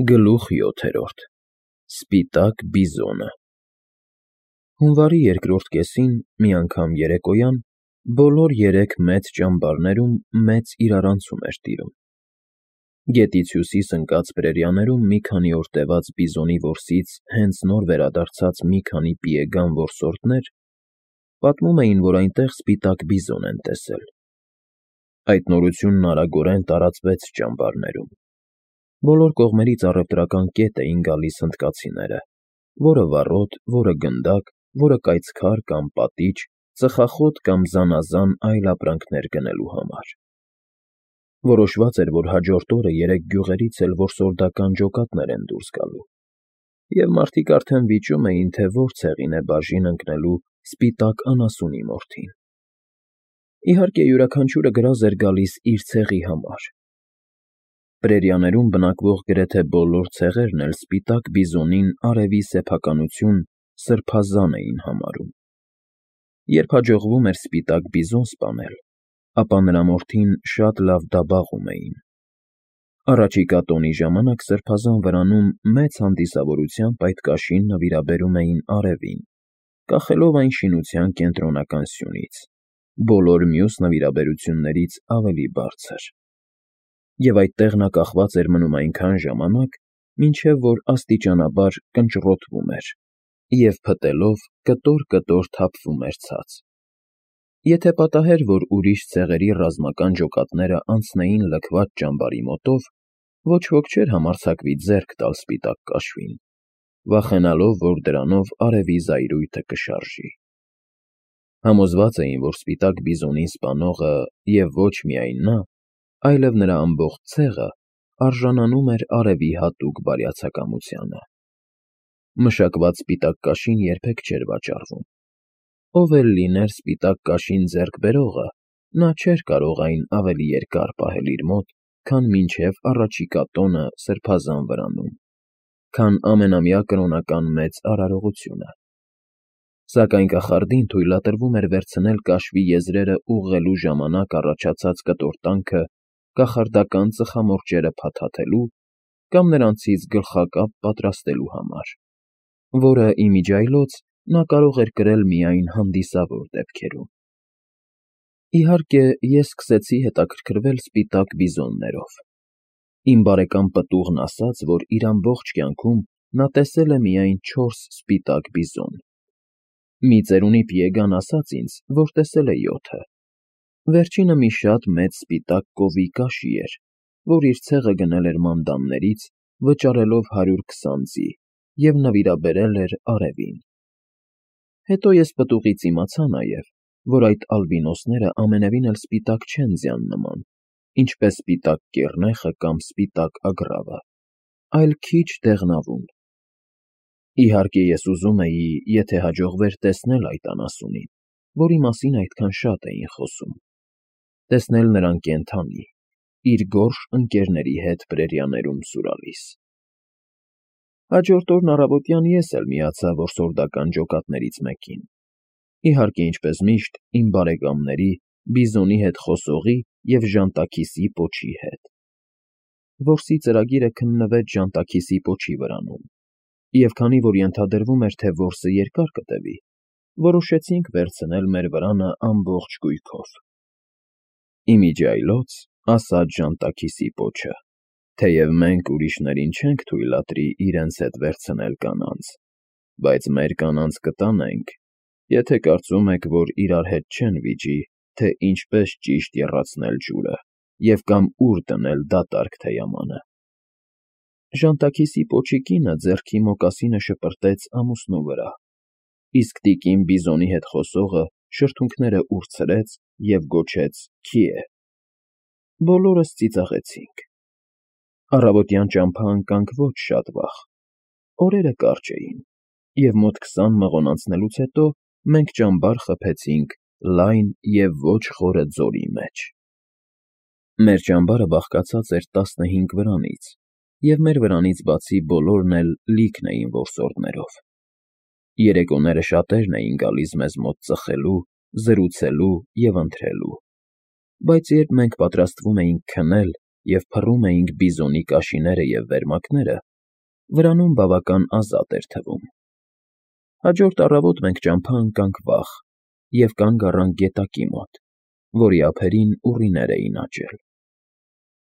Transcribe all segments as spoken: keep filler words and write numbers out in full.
Գլուխ յոթերորդ Սպիտակ բիզոնը Հունվարի երկրորդ կեսին, մի անգամ երեկոյան, բոլոր երեք մեծ ճամբարներում մեծ իրարանցում էր տիրում. Գետից հյուսիս ընկած պրերիաներում մի քանի օր տևած բիզոնի որսից հենց նոր վերադարձած մի քանի պիեգան որսորդներ պատմում էին, որ այնտեղ սպիտակ բիզոն են տեսել. Այդ նորությունն արագորեն տարածվեց ճամբարներում. Բոլոր կողմերից առևտրական կետ էին գալիս հնդկացիները, որը վառոդ, որը գնդակ, որը կայծքար կամ պատիճ, ծխախոտ կամ զանազան այլ ապրանքներ գնելու համար. Որոշված էր, որ հաջորդ օրը երեք գյուղերից էլ որսորդական ջոկատներ են դուրս գալու, և մարդիկ արդեն վիճում էին, թե որ ցեղին է բաժին ընկնելու սպիտակ անասունի մորթին. Իհարկե, յուրաքանչյուրը գրազ էր գալիս իր ցեղի համար. Պրերիաներում բնակվող գրեթե բոլոր ցեղերն էլ սպիտակ բիզոնին արևի սեփականություն սրբազան էին համարում. Երբ հաջողվում էր սպիտակ բիզոն սպանել, ապա նրա մորթին շատ լավ դաբախում էին. Առաջիկա տոնի ժամանակ սրբազան վրանում մեծ հանդիսավորությամբ այդ կաշին նվիրաբերում էին արևին, կախելով այն շինության կենտրոնական սյունից, բոլոր մյուս նվիրաբերություններից ավելի բարձր. Եվ այդտեղ նա կախված էր մնում այնքան ժամանակ, մինչև որ աստիճանաբար կնճռոտվում էր և փտելով կտոր֊կտոր թափվում էր ցած. Եթե պատահեր, որ ուրիշ ցեղերի ռազմական ջոկատները անցնեին լքված ճամբարի մոտով, ոչ ոք չէր համարձակվի ձեռք տալ սպիտակ կաշվին, վախենալով, որ դրանով արևի զայրույթը կշարժի. Համոզված էին, որ սպիտակ բիզոնին սպանողը և ոչ միայն նա, այլև նրա ամբողջ ցեղը արժանանում էր արևի հատուկ բարյացակամությանը. Մշակված սպիտակ կաշին երբեք չէր վաճառվում. ով էլ լիներ սպիտակ կաշին ձեռք բերողը, նա չէր կարող այն ավելի երկար պահել իր մոտ, քան մինչև առաջիկա տոնը սրբազան վրանում, քան ամենամյա կրոնական մեծ արարողությունը. Սակայն կախարդին թույլատրվում էր վերցնել կաշվի եզրերը ուղղելու ժամանակ առաջացած կտորտանքը կախարդական ծխամորճերը փաթաթելու կամ նրանցից գլխակապ պատրաստելու համար, որը, ի միջի այլոց, նա կարող էր կրել միայն հանդիսավոր դեպքերում. Իհարկե, ես սկսեցի հետաքրքրվել սպիտակ բիզոններով. Իմ բարեկամ պտուղն ասաց, որ իր ամբողջ կյանքում նա տեսել է միայն չորս սպիտակ բիզոն. Մի ծերունի պիեգան ասաց ինձ, որ տեսել է յոթը. Վերջինը մի շատ մեծ սպիտակ կովի կաշի էր, որ իր ցեղը գնել էր մանդամներից, վճարելով հարյուր քսան ձի և նվիրաբերել էր արևին. Հետո ես պտուղից իմացա նաև, որ այդ ալբինոսները ամենևին էլ սպիտակ չեն ձյան նման, ինչպես սպիտակ կեռնեխը կամ սպիտակ ագռավը, այլ քիչ դեղնավուն: Իհարկե, ես ուզում էի, եթե հաջողվեր տեսնել այդ անասունին, որի մասին այդքան շատ էին խոսում, տեսնել նրան կենդանի, իր գորշ ընկերների հետ պրերիաներում սուրալիս: Հաջորդ օրն առավոտյան ես էլ միացա որսորդական ջոկատներից մեկին, իհարկե, ինչպես միշտ, իմ բարեկամների, բիզոնի հետ խոսողի և ժանտաքիսի պոչի հետ: Որսի ծրագիրը քննվեց ժանտաքիսի պոչի վրանում, և քանի որ ենթադրվում էր, թե որսը երկար կտևի, որոշեցինք վերցնել մեր վրանը ամբողջ կույքով: Ի միջի այլոց, ասաց ժանտաքիսի պոչը, թեև մենք ուրիշներին չենք թույլատրի իրենց հետ վերցնել կանանց, բայց մեր կանանց կտանենք, եթե կարծում եք, որ իրար հետ չեն վիճի, թե ինչպես ճիշտ եռացնել ջուրը և կամ ուր դնել դատարկ թեյամանը: Ժանտաքիսի պոչի կինը ձեռքի մոկասինը շպրտեց ամուսնու վրա, իսկ տիկին բիզոնի հետ խոսողը շրթունքները ուրցրեց և գոչեց «Քիե»: Բոլորս ծիծաղեցինք: Առավոտյան ճամփա ընկանք ոչ շատ վաղ, օրերը կարճ էին, և մոտ քսան մղոն անցնելուց հետո մենք ճամբար խփեցինք լայն և ոչ խորը ձորի մեջ: Մեր ճամբարը բաղկացած էր տասնհինգ վրանից, և մեր վրանից բացի բոլորն էլ լիքն էին որսորդներով: Երեկոները շատերն էին գալիս մեզ մոտ ծխելու, զրուցելու և ընթրելու, բայց երբ մենք պատրաստվում էինք քնել և փռում էինք բիզոնի կաշիները և վերմակները, վրանում բավական ազատ էր թվում։ Հաջորդ առավոտ մենք ճամփա ընկանք վաղ և կանգ առանք գետակի մոտ, որի ափերին ուռիներ էին աճել։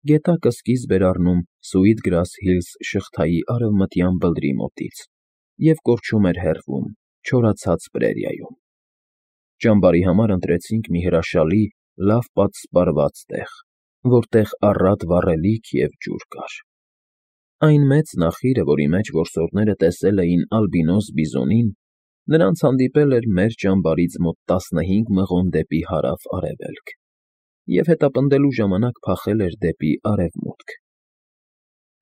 Գետակը սկիզբ էր առնում Sweetgrass Hills շղթայի արևմտյան բլրի մոտից և կորչում էր հեռվում, չորացած պրերիայում։ Ճամբարի համար ընտրեցինք մի հրաշալի, լավ պատսպարված տեղ, որտեղ առատ վառելիք և ջուր կար։ Այն մեծ նախիրը, որի մեջ որսորդները տեսել էին ալբինոս բիզոնին, նրանց հանդիպել էր մեր ճամբարից մոտ տասնհինգ մղոն դեպի հարավ֊արևելք և հետապնդելու ժամանակ փախել էր դեպի արևմուտք։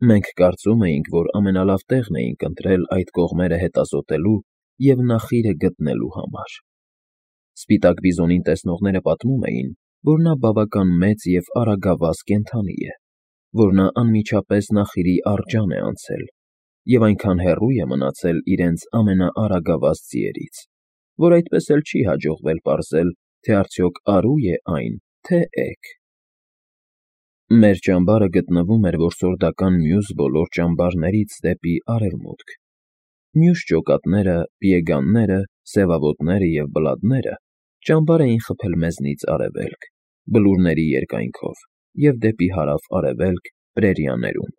Մենք կարծում էինք, որ ամենալավ տեղն էինք ընտրել այդ կողմերը հետազոտելու և նախիրը գտնելու համար։ Սպիտակ բիզոնին տեսնողները պատմում էին, որ նա բավական մեծ և արագավազ կենդանի է, որ նա անմիջապես նախիրի արջան է անցել և այնքան հեռու է մնացել իրենց ամենաարագավազ ձիերից, որ այդպես էլ չի հաջողվել պարզել, թե արդյոք արու է այն, թե էգ։ Մեր ճամբարը գտնվում էր որսորդական մյուս բոլոր ճամբարներից դեպի արևմուտք։ Մյուս ջոկատները, պիեգանները, սևավոտները և բլադները ճամբար էին խփել մեզնից արևելք, բլուրների երկայնքով և դեպի հարավ֊արևելք պրերիաներում։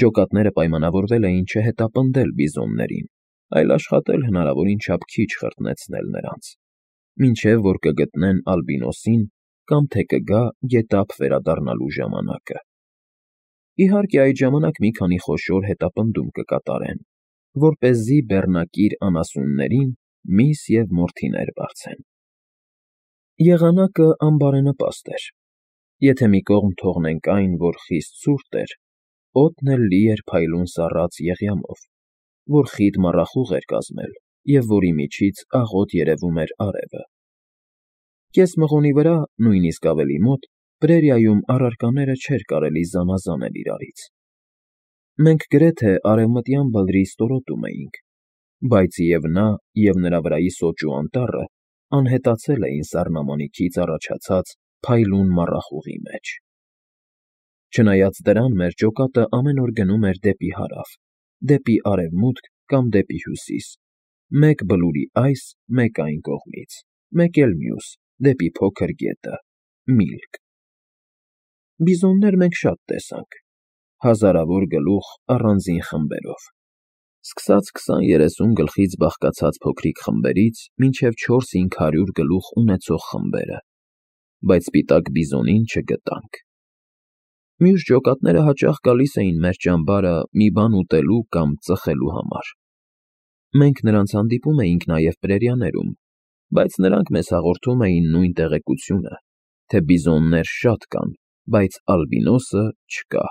Ջոկատները պայմանավորվել էին չհետապնդել բիզոններին, այլ աշխատել հնարավորին չափ քիչ խրտնեցնել նրանց, մինչև որ կգտնեն ալբինոսին կամ թե կգա գետափ վերադառնալու ժամանակը։ Իհարկե, այդ ժամանակ մի քանի խոշոր հետապնդում կկատարեն, որպեսզի բեռնակիր անասուններին միս և մորթիներ բարձեն։ Եղանակը անբարենպաստ էր։ Եթե մի կողմ թողնենք այն, որ խիստ ցուրտ էր, օդն էլ լի էր փայլուն սառած եղյամով, որ խիտ մառախուղ էր կազմել և որի միջից աղոտ երևում էր արևը։ Կես մղոնի վրա, նույնիսկ ավելի մոտ, պրերիայում առարկաները չէր կարելի զանազանել իրարից։ Մենք գրեթե արևմտյան բլրի ստորոտում էինք, բայց և նա, և նրա վրայի սոճու անտառը անհետացել էին սառնամանիքից առաջացած փայլուն մառախուղի մեջ։ Չնայած դրան, մեր ջոկատը ամեն օր գնում էր դեպի հարավ, դեպի արևմուտք կամ դեպի հյուսիս, մեկ բլուրի այս, մեկ այն կողմից, մեկ էլ մյուս, դեպի փոքր գետը՝ Միլք։ Բիզոններ մենք շատ տեսանք, հազարավոր գլուխ առանձին խմբերով, սկսած քսան֊երեսուն գլխից բաղկացած փոքրիկ խմբերից մինչև չորս֊հինգ հարյուր գլուխ ունեցող խմբերը, բայց սպիտակ բիզոնին չգտանք։ Մյուս ջոկատները հաճախ գալիս էին մեր ճամբարը մի բան ուտելու կամ ծխելու համար։ Մենք նրանց հանդիպում էինք նաև պրերիաներում, բայց նրանք մեզ հաղորդում էին նույն տեղեկությունը, թե բիզոններ շատ կան, բայց ալբինոսը չկա։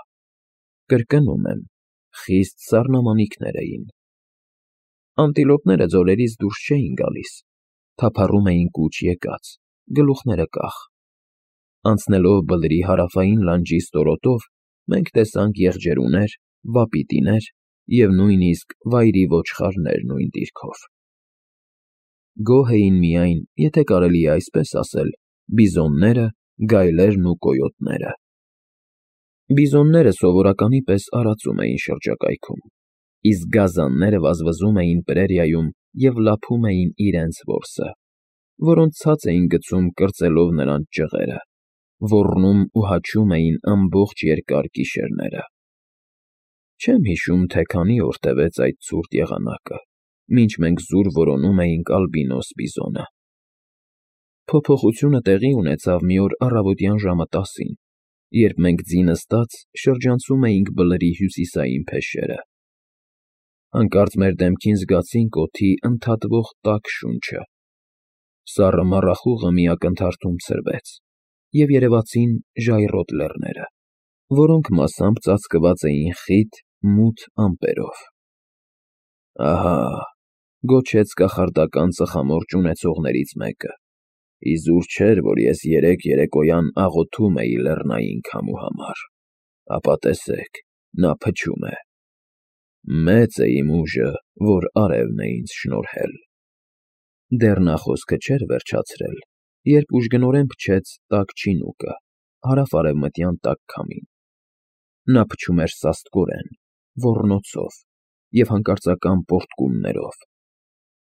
Կրկնում եմ, խիստ սառնամանիքներ էին։ Անտիլոպները ձորերից դուրս չէին գալիս, թափառում էին կուչ եկած, գլուխները կախ։ Անցնելով բլրի հարավային լանջի ստորոտով, մենք տեսանք եղջերուներ, վապիտիներ և նույնիսկ վայրի ոչխարներ նույն դիրքով։ Գոհ էին միայն, եթե կարելի է այսպես ասել, բիզոնները, գայլերն ու կոյոտները։ Բիզոնները սովորականի պես արածում էին շրջակայքում, իսկ գազանները վազվզում էին պրերիայում և լափում էին իրենց որսը, որոնց ցած էին գցում կրծելով նրանց ճղերը, ոռնում ու հաչում էին ամբողջ երկար գիշերները։ Չեմ հիշում, թե քանի օր տևեց այդ ցուրտ եղանակը, մինչ մենք զուր որոնում էինք ալբինոս բիզոնը։ Փոփոխությունը տեղի ունեցավ մի օր առավոտյան ժամը տասին, երբ մենք ձի նստած շրջանցում էինք բլրի հյուսիսային փեշերը։ Հանկարծ մեր դեմքին զգացինք օդի ընդհատվող տաք շունչը։ Սառը մառախուղը մի ակնթարթում ցրվեց, և երևացին ժայռոտ լեռները, որոնք մասամբ ծածկված էին խիտ, մութ ամպերով։ Ահա,֊ գոչեց կախարդական ծխամորճ ունեցողներից մեկը,֊ իզուր չէր, որ ես երեկ երեկոյան աղոթում էի լեռնային քամու համար, ապա տեսեք, նա փչում է։ Մեծ է իմ ուժը, որ արևն է ինձ շնորհել։ Դեռ նա խոսքը չէր վերջացրել, երբ ուժգնորեն փչեց տաք չինուկը, հարավ֊արևմտյան տաք քամին։ Նա փչում էր սաստկորեն, ոռնոցով և հանկարծական պոռթկումներով։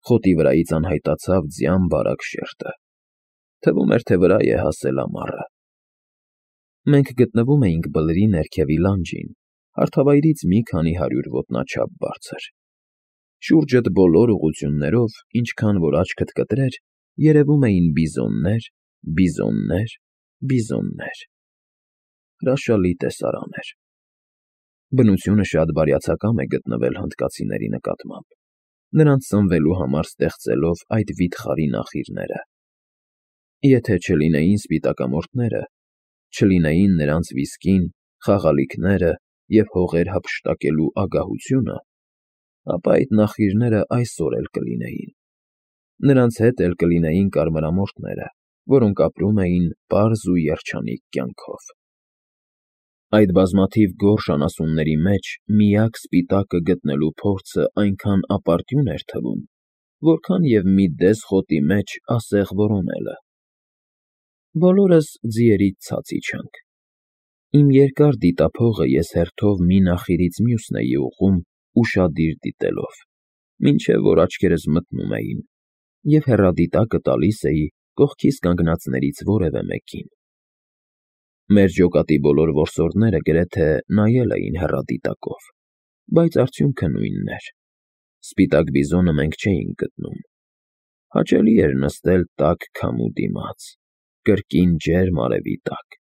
Խոտի վրայից անհայտացավ ձյան բարակ շերտը։ Թվում էր, թե վրա է հասել ամառը։ Մենք գտնվում էինք բլրի ներքևի լանջին, հարթավայրից մի քանի հարյուր ոտնաչափ բարձր։ Շուրջդ բոլոր ուղղություններով, ինչքան որ աչքդ կտրեր, երևում էին բիզոններ, բիզոններ, բիզոններ… Հրաշալի տեսարան էր։ Բնությունը շատ բարյացակամ է գտնվել հնդկացիների նկատմամբ, նրանց սնվելու համար ստեղծելով այդ վիթխարի նախիրները։ Եթե չլինեին սպիտակամորթները, չլինեին նրանց վիսկին, խաղալիքները և հողեր հափշտակելու ագահությունը, ապա այդ նախիրները այսօր էլ կլինեին։ Նրանց հետ էլ կլինեին կարմրամորթները, որոնք ապրում էին պարզ ու երջանիկ կյանքով։ Այդ բազմաթիվ գորշ անասունների մեջ միակ սպիտակը գտնելու փորձը այնքան ապարդյուն էր թվում, որքան և մի դես խոտի մեջ ասեղ որոնելը։ Բոլորս ձիերից ցած իջանք։ Իմ երկար դիտափողը ես հերթով մի նախիրից մյուսն էի ուղղում ուշադիր դիտելով, մինչև որ աչքերս մթնում էին, և հեռադիտակը տալիս էի կողքիս կանգնածներից որևէ մեկին։ Մեր ջոկատի բոլոր որսորդները գրեթե նայել էին հեռադիտակով, բայց արդյունքը նույնն էր. սպիտակ բիզոնը մենք չէինք գտնում։ Հաճելի էր նստել տաք քամու դիմաց, կրկին ջերմ արևի տակ,